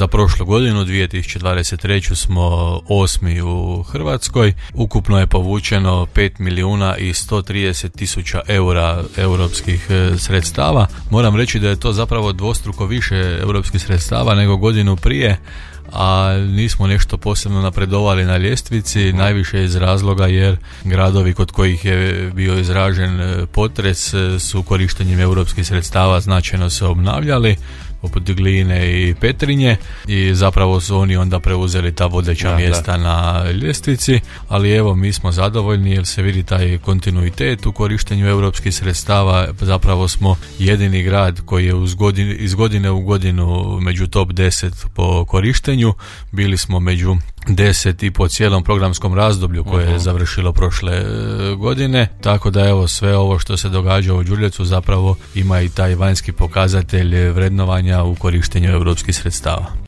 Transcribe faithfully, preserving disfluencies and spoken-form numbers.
Za prošlu godinu, dvije tisuće dvadeset treću, smo osmi u Hrvatskoj. Ukupno je povučeno pet milijuna i sto trideset tisuća eura europskih sredstava. Moram reći da je to zapravo dvostruko više europskih sredstava nego godinu prije, a nismo nešto posebno napredovali na ljestvici, najviše iz razloga jer gradovi kod kojih je bio izražen potres su korištenjem europskih sredstava značajno se obnavljali, poput Gline i Petrinje, i zapravo su oni onda preuzeli ta vodeća da, mjesta da. na ljestvici, ali evo mi smo zadovoljni jer se vidi taj kontinuitet u korištenju europskih sredstava. Zapravo smo jedini grad koji je uz godine, iz godine u godinu među top deset po korištenju, bili smo među deset i po cijelom programskom razdoblju koje uh-huh. je završilo prošle godine, tako da evo sve ovo što se događa u Đurđevcu zapravo ima i taj vanjski pokazatelj vrednovanja u korištenju europskih sredstava.